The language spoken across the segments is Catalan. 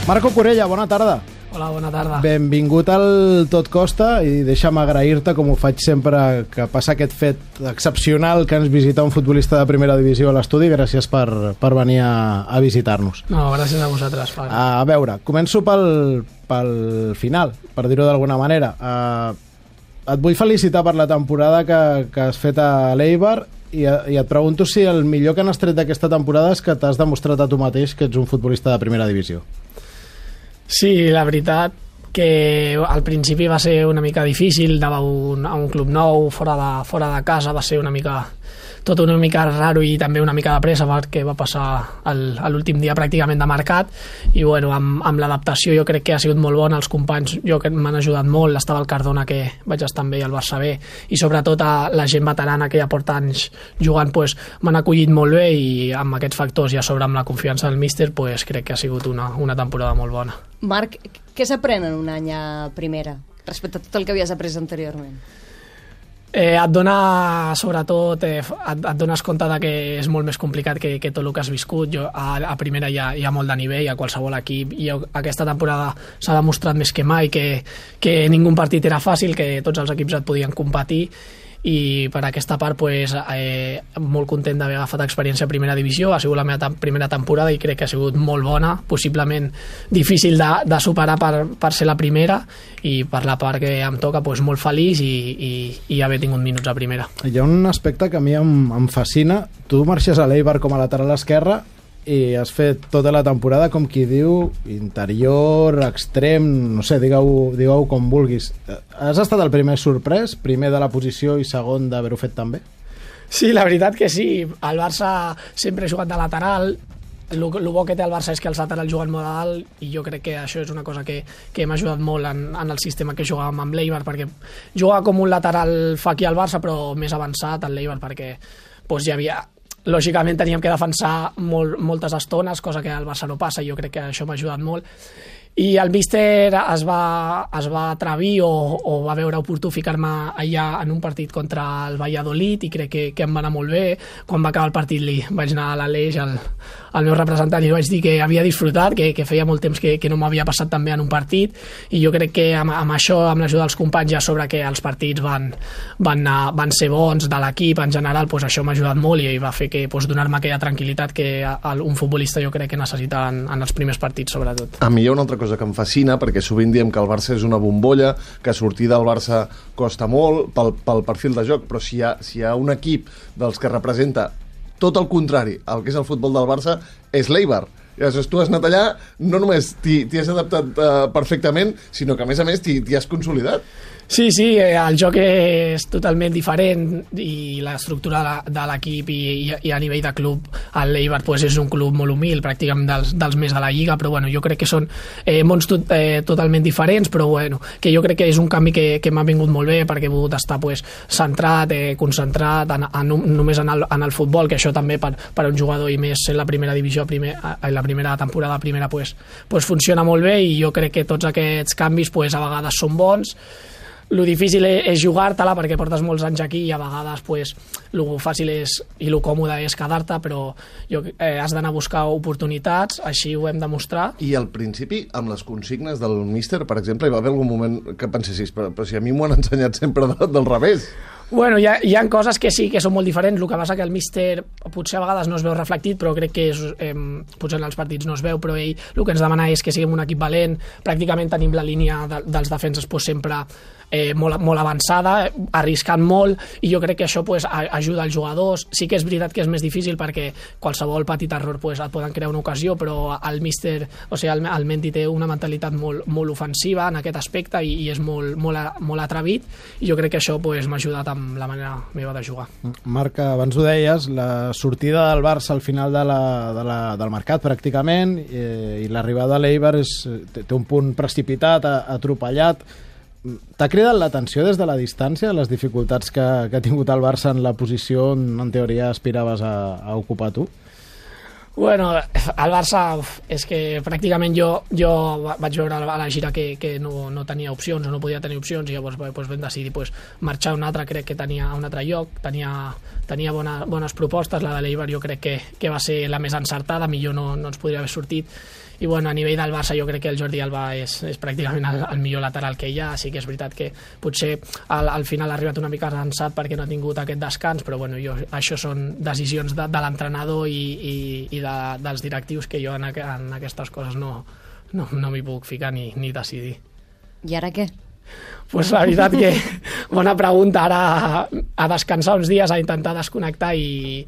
Marco Corella, bona tarda. Hola, bona tarda. Benvingut al Tot Costa i deixa'm agrair-te, com ho faig sempre, que passa aquest fet excepcional que ens visita un futbolista de primera divisió a l'estudi. Gràcies per venir a visitar-nos. No, gràcies a vosaltres. A veure, començo pel final, per dir-ho d'alguna manera. Et vull felicitar per la temporada que has fet a l'Eibar i et pregunto si el millor que n'has tret d'aquesta temporada és que t'has demostrat a tu mateix que ets un futbolista de primera divisió. Sí, la veritat que al principi va ser una mica difícil, anava a un club nou, fora de casa, va ser una mica raro i també una mica de pressa perquè va passar l'últim dia pràcticament de mercat i bueno, amb l'adaptació jo crec que ha sigut molt bona, els companys jo crec que m'han ajudat molt, estava el Cardona que vaig estar amb ell al Barça B i sobretot la gent veterana que ja porta anys jugant m'han acollit molt bé i amb aquests factors i a sobre amb la confiança del míster crec que ha sigut una temporada molt bona. Marc, què s'aprèn en un any a primera respecte a tot el que havies après anteriorment? Et dona, sobretot, et dones compte que és molt més complicat que tot el que has viscut. A primera hi ha molt de nivell a qualsevol equip i aquesta temporada s'ha demostrat més que mai que ningú partit era fàcil, que tots els equips et podien competir i per aquesta part molt content d'haver agafat experiència a primera divisió. Ha sigut la meva primera temporada i crec que ha sigut molt bona, possiblement difícil de superar per ser la primera i per la part que em toca molt feliç i haver tingut minuts a primera. Hi ha un aspecte que a mi em fascina. Tu marxes a l'Eibar com a lateral esquerre i has fet tota la temporada, com qui diu, interior, extrem, no sé, digueu com vulguis. Has estat el primer sorprès, primer de la posició i segon d'haver-ho fet tan bé? Sí, la veritat que sí. Al Barça sempre he jugat de lateral. El bo que té el Barça és que els laterals juguen molt a dalt i jo crec que això és una cosa que m'ha ajudat molt en el sistema que jugàvem amb l'Eibar, perquè jugava com un lateral fa aquí al Barça però més avançat al l'Eibar perquè hi havia... Lògicament teníem que defensar moltes estones, cosa que al Barça no passa i jo crec que això m'ha ajudat molt i el míster es va atrevir o va veure oportú ficar-me allà en un partit contra el Valladolid i crec que em va anar molt bé. Quan va acabar el partit li vaig anar a l'Aleix, al meu representant, i li vaig dir que havia disfrutat, que feia molt temps que no m'havia passat tan bé en un partit i jo crec que amb això, amb l'ajuda dels companys i a sobre que els partits van ser bons de l'equip en general, això m'ha ajudat molt i va fer que donar-me aquella tranquil·litat que un futbolista jo crec que necessita en els primers partits sobretot. A mi hi ha una altra cosa que em fascina, perquè sovint diem que el Barça és una bombolla, que sortir del Barça costa molt pel perfil de joc, però si hi ha un equip dels que representa tot el contrari, el que és el futbol del Barça, és l'Eibar. I llavors tu has anat allà, no només t'hi has adaptat perfectament, sinó que a més t'hi has consolidat. Sí, el joc és totalment diferent i l'estructura de l'equip i a nivell de club el l'Eibar és un club molt humil, pràcticament dels més de la Lliga, però jo crec que són mons totalment diferents, però que jo crec que és un canvi que m'ha vingut molt bé perquè he pogut estar centrat, concentrat només en el futbol, que això també per un jugador i més en la primera divisió, la primera temporada primera funciona molt bé i jo crec que tots aquests canvis a vegades són bons. Lo difícil és jugar-te-la perquè portes molts anys aquí i a vegades lo fàcil i lo còmode és quedar-te, però has d'anar a buscar oportunitats, així ho hem de mostrar. I al principi, amb les consignes del míster, per exemple, hi va haver algun moment que pensessis, però si a mi m'ho han ensenyat sempre del revés. Bueno, hi ha coses que sí que són molt diferents, el que passa que el míster potser a vegades no es veu reflectit, però crec que potser en els partits no es veu, però ell el que ens demana és que siguem un equip valent, pràcticament tenim la línia dels defenses sempre molt avançada, arriscant molt i jo crec que això ajuda als jugadors. Sí que és veritat que és més difícil perquè qualsevol petit error et poden crear una ocasió, però el míster, el Mendy té una mentalitat molt ofensiva en aquest aspecte i és molt atrevit i jo crec que això m'ha ajudat amb la manera meva de jugar. Marc, abans ho deies, la sortida del Barça al final del mercat pràcticament i l'arribada a l'Eibar té un punt precipitat, atropellat. T'ha cridat l'atenció des de la distància les dificultats que ha tingut el Barça en la posició on en teoria aspiraves a ocupar tu? Bueno, el Barça és que pràcticament jo vaig veure a la gira que no tenia opcions o no podia tenir opcions i llavors vam decidir marxar a un altre, crec que tenia un altre lloc, tenia bones propostes, la de l'Eibar jo crec que va ser la més encertada, millor no ens podria haver sortit bueno, a nivell del Barça jo crec que el Jordi Alba és pràcticament el millor lateral que hi ha, sí que és veritat que potser al final ha arribat una mica cansat perquè no ha tingut aquest descans, però bueno, això són decisions de l'entrenador i dels directius que jo en aquestes coses no m'hi puc ficar ni decidir. I ara què? Pues la veritat que, bona pregunta, ara a descansar uns dies, a intentar desconnectar i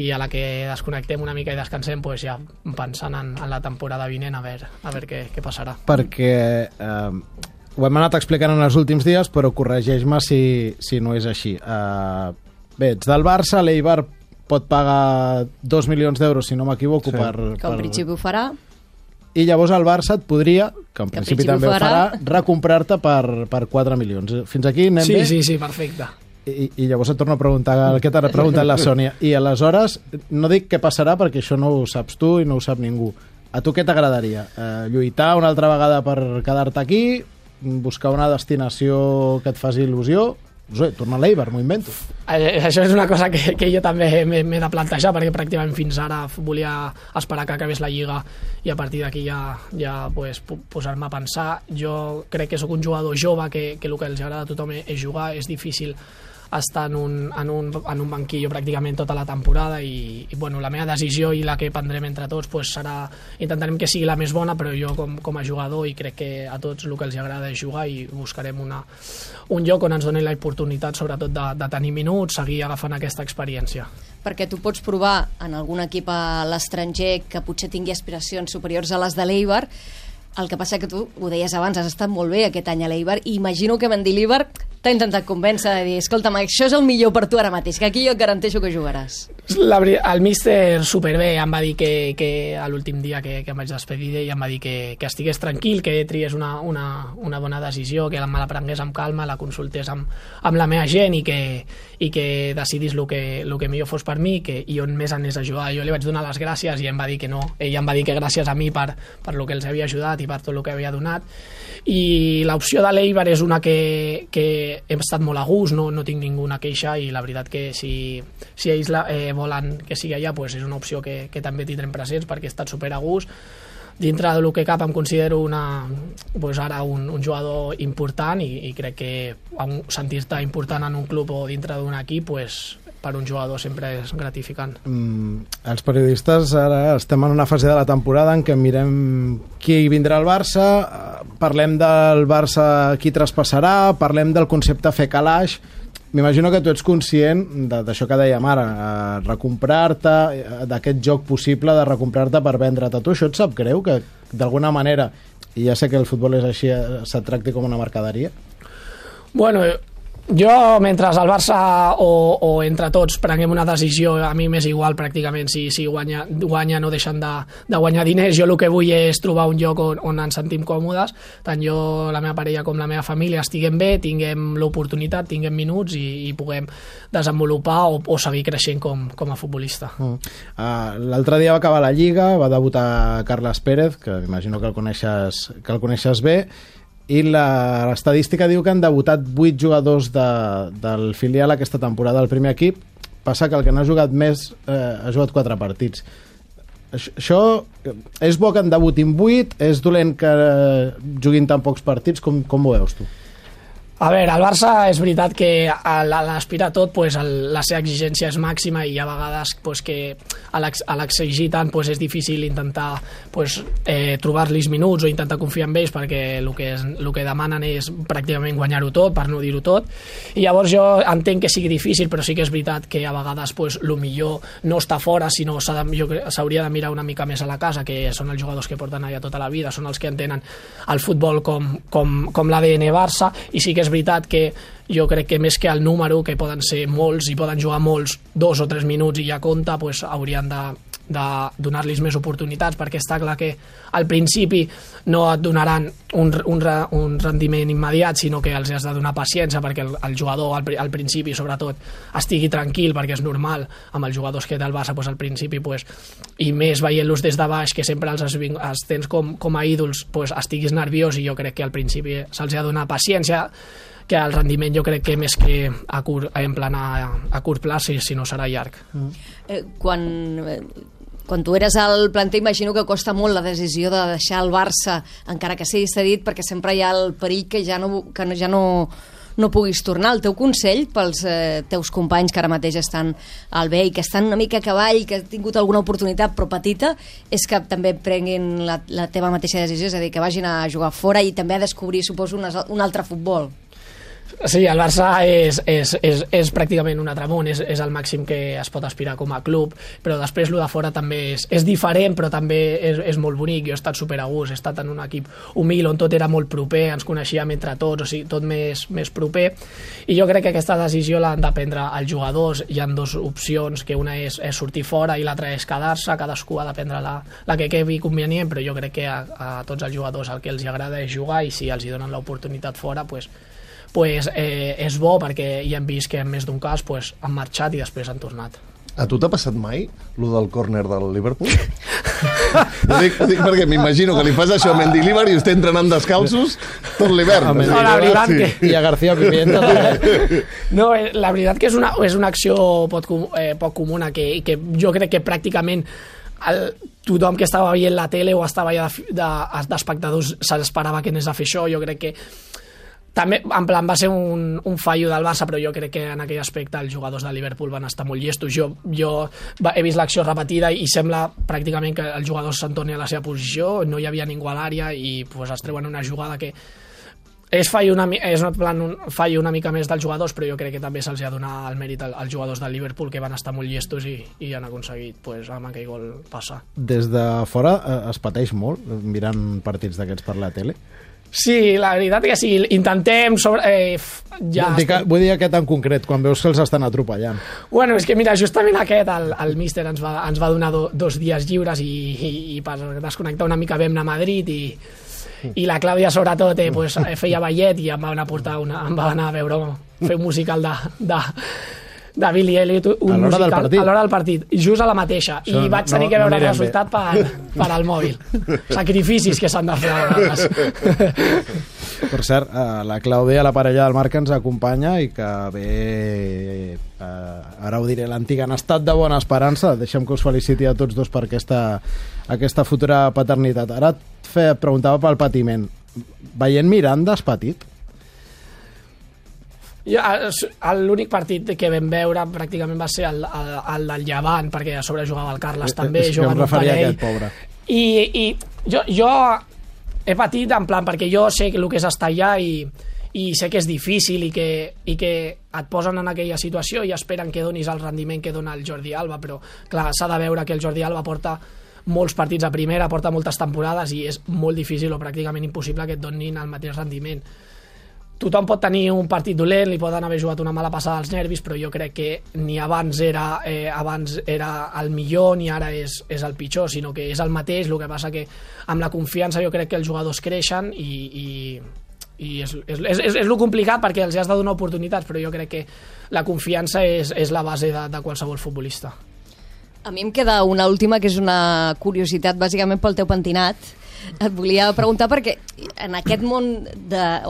a la que desconnectem una mica i descansem, pues ja pensant en la temporada vinent a veure què passarà. Perquè ho hem anat explicant en els últims dies, però corregeix-me si no és així. Bé, ets del Barça, l'Eibar pot pagar 2 milions d'euros, si no m'equivoco, que en principi ho farà. I llavors el Barça et podria, que en principi també ho farà, recomprar-te per 4 milions. Fins aquí anem bé? Sí, perfecte. I llavors et torno a preguntar el que t'ha preguntat la Sònia. I aleshores, no dic què passarà perquè això no ho saps tu i no ho sap ningú. A tu què t'agradaria? Lluitar una altra vegada per quedar-te aquí? Buscar una destinació que et faci il·lusió? No sé, tornar a l'Eibar, m'ho invento. Això és una cosa que jo també m'he de plantejar, perquè pràcticament fins ara volia esperar que acabés la Lliga i a partir d'aquí ja pues, posar-me a pensar. Jo crec que sóc un jugador jove, que el que els agrada a tothom és jugar, és difícil estar en un banquillo pràcticament tota la temporada i bueno, la meva decisió i la que prendrem entre tots pues, serà, intentarem que sigui la més bona, però jo com a jugador i crec que a tots el que els agrada és jugar i buscarem un lloc on ens doni l'oportunitat sobretot de tenir minuts, seguir agafant aquesta experiència. Perquè tu pots provar en algun equip a l'estranger que potser tingui aspiracions superiors a les de l'Eibar. El que passa que tu, ho deies abans, has estat molt bé aquest any a l'Eibar i imagino que Mendilibar t'ha intentat convèncer de dir, escolta'm, això és el millor per tu ara mateix, que aquí jo et garanteixo que jugaràs. El míster superbé em va dir que a l'últim dia que em vaig despedir i em va dir que estigués tranquil, que triés una bona decisió, que me la prengués amb calma, la consultés amb la meva gent i que decidís el que millor fos per mi i on més anés a jugar. Jo li vaig donar les gràcies i em va dir que no. Ell em va dir que gràcies a mi per el que els havia ajudat i per tot el que havia donat. I l'opció de l'Eibar és una que hem estat molt a gust, no tinc ninguna queixa i la veritat que si ells volen que sigui allà pues és una opció que també tindrem presents perquè he estat super a gust. Dintre del que cap em considero ara un jugador important i crec que sentir-te important en un club o dintre d'un equip pues, per un jugador sempre és gratificant. Els periodistes ara estem en una fase de la temporada en què mirem qui vindrà al Barça, parlem del Barça qui traspassarà, parlem del concepte fer calaix. M'imagino que tu ets conscient d'això que dèiem ara, recomprar-te, d'aquest joc possible de recomprar-te per vendre't a tu. Això et sap greu que d'alguna manera, i ja sé que el futbol és així, se't tracti com una mercaderia? Bueno, jo, mentre el Barça o entre tots prenguem una decisió, a mi m'és igual pràcticament si guanya no deixen de guanyar diners. Jo el que vull és trobar un lloc on ens sentim còmodes, tant jo, la meva parella com la meva família estiguem bé, tinguem l'oportunitat, tinguem minuts i puguem desenvolupar o seguir creixent com a futbolista. L'altre dia va acabar la Lliga, va debutar Carles Pérez, que m'imagino que el coneixes bé, i l'estadística diu que han debutat 8 jugadors del filial aquesta temporada al primer equip. Passa que el que n'ha jugat més ha jugat 4 partits. Això és bo que en debutin 8? És dolent que juguin tan pocs partits? Com ho veus tu? A veure, el Barça és veritat que l'aspira tot, pues, la seva exigència és màxima i a vegades pues, que a l'exigir tant pues, és difícil intentar pues, trobar-los minuts o intentar confiar en ells perquè el que demanen és pràcticament guanyar-ho tot, per no dir-ho tot. I llavors jo entenc que sigui difícil, però sí que és veritat que a vegades pues, el millor no està fora, sinó s'hauria de mirar una mica més a la casa, que són els jugadors que porten allà tota la vida, són els que entenen el futbol com l'ADN Barça, i sí que és veritat que jo crec que més que el número, que poden ser molts i poden jugar molts 2 o 3 minuts i ja compta, pues, haurien de donar-los més oportunitats, perquè està clar que al principi no et donaran un rendiment immediat, sinó que els has de donar paciència perquè el jugador al principi sobretot estigui tranquil, perquè és normal amb els jugadors que té el Barça al principi i més veient-los des de baix, que sempre els tens com a ídols, estiguis nerviós, i jo crec que al principi se'ls ha de donar paciència, que el rendiment jo crec que més que a curt plaç, si no serà llarg. Quan quan tu eres al planter, imagino que costa molt la decisió de deixar el Barça, encara que sigui cedit, perquè sempre hi ha el perill que ja no puguis tornar. El teu consell pels teus companys que ara mateix estan al B i que estan una mica a cavall, que han tingut alguna oportunitat però petita, és que també prenguin la teva mateixa decisió, és a dir, que vagin a jugar fora i també a descobrir, suposo, un altre futbol. Sí, el Barça és pràcticament un altre món, és el màxim que es pot aspirar com a club, però després el de fora també és diferent, però també és molt bonic. Jo he estat super a gust, he estat en un equip humil on tot era molt proper, ens coneixíem entre tots, o sigui, tot més proper, i jo crec que aquesta decisió l'han de prendre els jugadors. Hi ha dues opcions, que una és sortir fora i l'altra és quedar-se, cadascú ha de prendre la que quedi convenient, però jo crec que a tots els jugadors el que els agrada és jugar, i si els hi donen l'oportunitat fora, és bo, perquè ja hem vist que en més d'un cas han marxat i després han tornat. A tu t'ha passat mai, lo del córner del Liverpool? Ho dic perquè m'imagino que li fas això a Mendilibar i estem entrenant descalços tot l'hivern. No, la veritat que... I a García Pimienta també. No, la veritat que és una acció poc comuna, que jo crec que pràcticament tothom que estava veient la tele o estava allà d'espectadors s'esperava que anés a fer això. Jo crec que també, en plan, va ser un fallo del Barça, però jo crec que en aquell aspecte els jugadors de Liverpool van estar molt llestos. Jo he vist l'acció repetida i sembla pràcticament que el jugador se'n torni a la seva posició, no hi havia ningú a l'àrea i es treuen una jugada que és un fallo una mica més dels jugadors, però jo crec que també se'ls ha de donar el mèrit als jugadors del Liverpool, que van estar molt llestos i han aconseguit amb aquell gol passar. Des de fora es pateix molt mirant partits d'aquests per la tele? Sí, la veritat que sí, intentem vull dir aquest en concret, quan veus que els estan atropellant. Bueno, és que mira, justament el míster ens va donar 2 dies lliures i per desconnectar una mica vam anar a Madrid i la Clàudia sobretot feia ballet i em va anar a veure fer un musical de Billy Elliot, un musical a l'hora del partit, just a la mateixa, i vaig tenir que veure el resultat per al mòbil. Sacrificis que s'han de fer a vegades. Per cert, la Clàudia, la parella del Marc, ens acompanya i que ve, ara ho diré, l'antiga en estat de bona esperança. Deixem que us feliciti a tots dos per aquesta futura paternitat. Ara et preguntava pel patiment. Veient Miranda, has patit? L'únic partit que vam veure pràcticament va ser el del Llevant, perquè a sobre jugava el Carles també, jugava un parell, i jo he patit en plan perquè jo sé el que és estar allà i sé que és difícil i que et posen en aquella situació i esperen que donis el rendiment que dona el Jordi Alba, però clar, s'ha de veure que el Jordi Alba porta molts partits a primera, porta moltes temporades i és molt difícil o pràcticament impossible que et donin el mateix rendiment. Tothom pot tenir un partit dolent, li poden haver jugat una mala passada als nervis, però jo crec que ni abans era el millor ni ara és el pitjor, sinó que és el mateix. El que passa que amb la confiança jo crec que els jugadors creixen i és el complicat, perquè els has de donar oportunitats, però jo crec que la confiança és la base de qualsevol futbolista. A mi em queda una última, que és una curiositat bàsicament pel teu pentinat. Et volia preguntar perquè en aquest món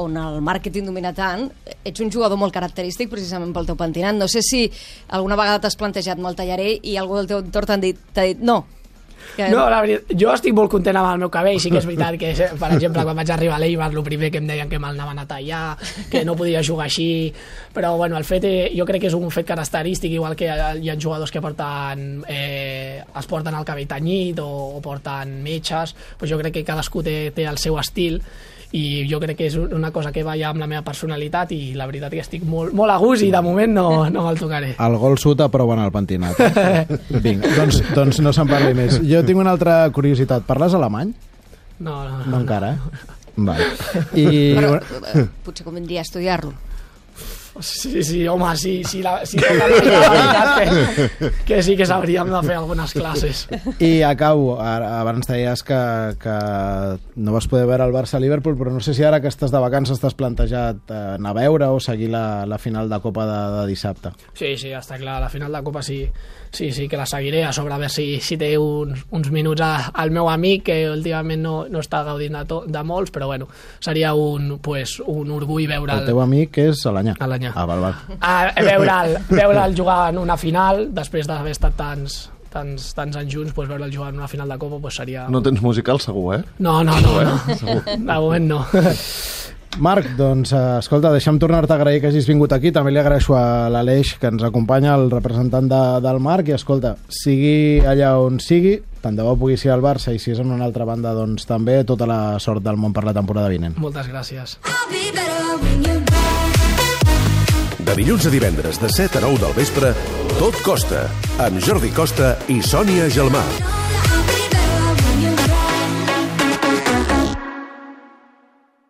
on el màrqueting domina tant, ets un jugador molt característic precisament pel teu pentinat. No sé si alguna vegada t'has plantejat amb el tallarer i algú del teu entorn t'ha dit no. No, la veritat, jo estic molt content amb el meu cabell. Sí que és veritat que, per exemple, quan vaig arribar a l'Eibar, el primer que em deien que me'l anaven a tallar, que no podia jugar així, però bueno, el fet, jo crec que és un fet característic, igual que hi ha jugadors que es porten el cabell tenyit o porten metges, doncs jo crec que cadascú té el seu estil i jo crec que és una cosa que va ja amb la meva personalitat i la veritat que estic molt, molt a gust i de moment no me'l tocaré. El gol sud aproven el pentinat. Vinga, doncs no se'n parli més. Jo tinc una altra curiositat. Parles alemany? No encara, Vale. Però potser convindria estudiar-lo. Sí, home, sí, la veritat que sí que s'hauríem de fer algunes classes. I acabo, abans deies que no vas poder veure el Barça-Liverpool, però no sé si ara que estàs de vacances t'has plantejat anar a veure o seguir la final de Copa de dissabte. Sí, està clar, la final de Copa sí que la seguiré, a sobre a veure si té uns minuts al meu amic, que últimament no està gaudint de molts, però bueno, seria un orgull veure'l. El teu amic és Alanyà. Veure'l jugar en una final després d'haver estat tants anys junts, doncs veure'l jugar en una final de Copa doncs seria... No tens musical segur, eh? No. De moment no. Marc, doncs, escolta, deixa'm tornar-te a agrair que hagis vingut aquí. També li agraeixo a l'Aleix, que ens acompanya, el representant del Marc, i escolta, sigui allà on sigui, tant de bo pugui ser al Barça, i si és en una altra banda, doncs també tota la sort del món per la temporada vinent. Moltes gràcies. De dilluns a divendres, de 7 a 9 del vespre, Tot Costa, amb Jordi Costa i Sònia Gelmà.